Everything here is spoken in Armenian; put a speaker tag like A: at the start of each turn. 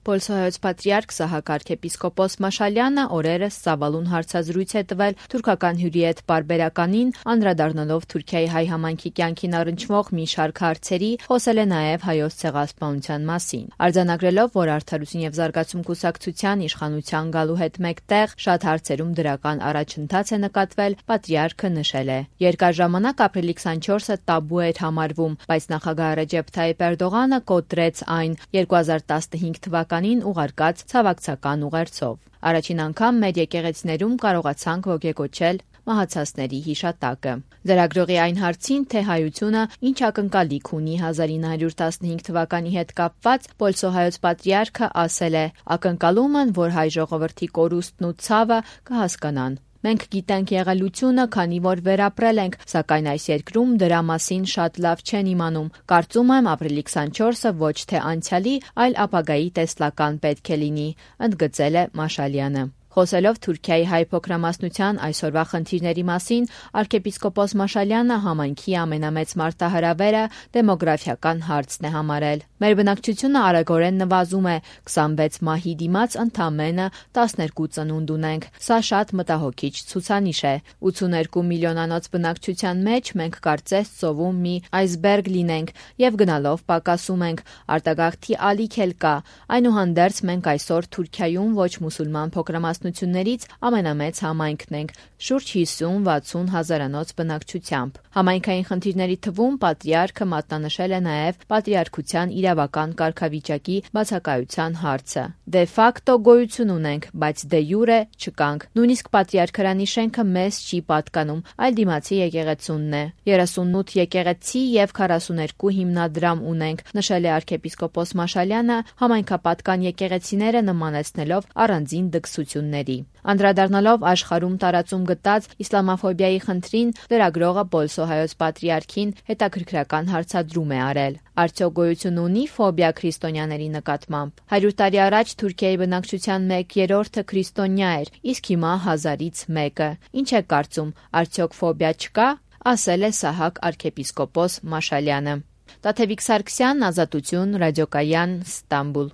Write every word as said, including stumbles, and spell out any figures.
A: Պոլսոհայոց պատրիարք Սահակ arczepiskopos Մաշալյանը օրերս ծավալուն հարցազրույց է տվել թուրքական հյուրի հետ պարբերականին, անդրադառնալով Թուրքիայի հայ համայնքի կյանքին առնչվող մի շարք հարցերի, խոսել է նաև հայոց ցեղասպանության մասին։ Արձանագրելով, որ Արդարություն եւ զարգացում կուսակցության իշխանության գալու հետ մեկտեղ շատ հարցերում դրական առաջընթաց է նկատվել, պատրիարքը նշել է. Երկար ժամանակ ապրիլի քսանչորսը տաբու էր համարվում, բայց նախագահ Ռեջեփ Թայիփ Էրդողանը կոտրեց այն երկու հազար տասնհինգ թվականին ուղարկած ցավակցական ուղերձով։ Առաջին անգամ մեր եկեղեցիներում կարողացանք ոգեկոչել մահացածների հիշատակը։ Լրագրողի այն հարցին, թե հայությունը ինչ ակնկալիք ունի հազար ինը հարյուր տասնհինգ թվականի հետ կապված, Պոլսոհայոց պատրիարքը ասել է. ակնկալում են, որ հայ ժողովրդի կորուստն ու ցավը կհասկանան։ Մենք գիտենք եղելությունը, քանի որ վերապրել ենք, սակայն այս երկրում դրա մասին շատ լավ չեն իմանում։ Կարծում եմ, ապրիլի քսանչորսը ոչ թե անցյալի, այլ ապագայի տեսլական պետք է լինի, ընդգծել է Մաշալյանը։ Խոսելով Թուրքիայի հայ փոքրամասնության այսօրվա խնդիրների մասին, arczepiskopos Մաշալյանը համայնքի ամենամեծ մարտահրավերը դեմոգրաֆիական հարցն է համարել։ Մեր բնակչությունը արագորեն նվազում է, քսանվեց մահի դիմաց ընդամենը տասներկու ծնունդ ունենք։ Սա շատ մտահոգիչ ցուցանիշ է։ ութսուներկու միլիոնանոց բնակչության մեջ մենք կարծես ծովում մի այսբերգ լինենք եւ գնալով պակասում ենք։ Արտագաղթի ալիք էլ կա։ Այնուհանդերձ մենք այսօր Թուրքիայում ոչ մուսուլման փոքրամասնություններից ամենամեծ համայնքն ենք, շուրջ հիսուն-վաթսուն հազարանոց բնակչությամբ։ Համայնքային խնդիրների թվում պատրիարքը մատնանշել է նաև պատրիարքության իրավական կարգավիճակի բացակայության հարցը։ Դե ֆակտո գոյություն ունենք, բայց դե յուրե չկանք։ Նույնիսկ պատրիարքարանի շենքը մեզ չի պատկանում, այլ դիմացի եկեղեցունն է։ երեսունութ եկեղեցի եւ քառասուներկու հիմնադրամ ունենք, նշել է arczepiskopos Մաշալյանը, համայնքապատկան եկեղեցիները նմանեցնելով առանձին դքսությունների։ Անդրադառնալով աշխարհում տարածում գտած իսլամաֆոբիայի խնդրին, լրագրողը Պոլսոհայոց պատրիարքին հետաքրքրական հարցադրում է արել. Արդյոք գոյություն ունի ֆոբիա քրիստոնյաների նկատմամբ։ հարյուր տարի առաջ Թուրքիայի բնակչության մեկ երրորդը քրիստոնյա էր, իսկ հիմա հազարից մեկը։ Ինչ է կարծում, արդյոք ֆոբիա չկա, ասել է Սահակ arczepiskopos Մաշալյանը։ Տաթևիկ Սարգսյան, Ազատություն, Ռադիոկայան, Ստամբուլ։